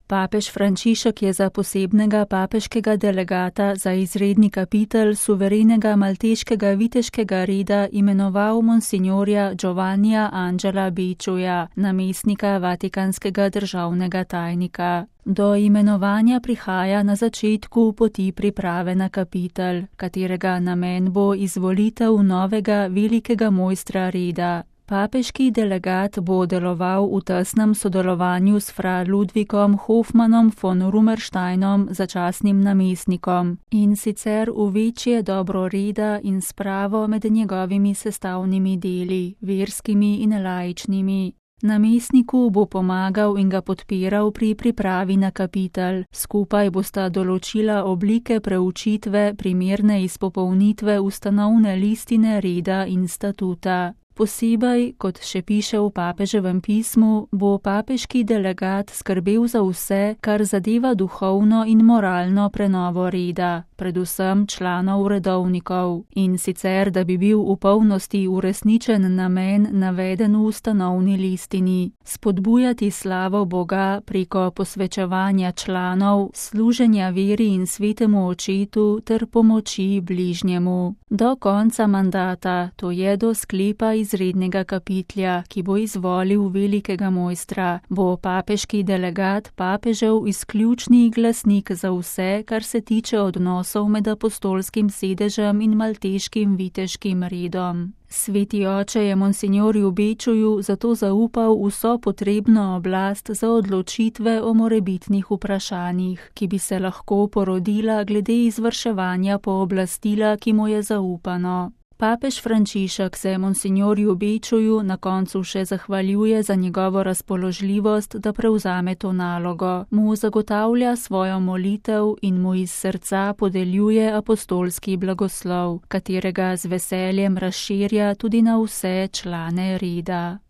Papež Frančišek je za posebnega papeškega delegata za izredni kapitel suverenega malteškega viteškega reda imenoval monsignorja Giovannija Angela Becciuja, namestnika vatikanskega državnega tajnika. Do imenovanja prihaja na začetku poti priprave na kapitel, katerega namen bo izvolitev novega velikega mojstra reda. Papeški delegat bo deloval v tesnem sodelovanju s fra Ludvikom Hofmannom von Rummersteinom, začasnim namestnikom, in sicer v večje dobro reda in spravo med njegovimi sestavnimi deli, verskimi in laičnimi. Namestniku bo pomagal in ga podpiral pri pripravi na kapitel, skupaj bosta določila oblike preučitve primerne izpopolnitve ustanovne listine reda in statuta. Posebej, kot še piše v papeževem pismu, bo papeški delegat skrbel za vse, kar zadeva duhovno in moralno prenovo reda, predvsem članov redovnikov, in sicer, da bi bil v polnosti uresničen namen naveden v ustanovni listini, spodbujati slavo Boga preko posvečevanja članov, služenja veri in svetemu očetu ter pomoči bližnjemu. Do konca mandata, to je do sklepa izrednega kapitlja, ki bo izvolil velikega mojstra, bo papeški delegat papežev izključni glasnik za vse, kar se tiče odnosov med apostolskim sedežem in malteškim viteškim redom. Sveti oče je monsignorju Becciuju zato zaupal vso potrebno oblast za odločitve o morebitnih vprašanjih, ki bi se lahko porodila glede izvrševanja pooblastila, ki mu je zaupano. Papež Frančišek se monsignorju Becciuju na koncu še zahvaljuje za njegovo razpoložljivost, da prevzame to nalogo, mu zagotavlja svojo molitev in mu iz srca podeljuje apostolski blagoslov, katerega z veseljem razširja tudi na vse člane reda.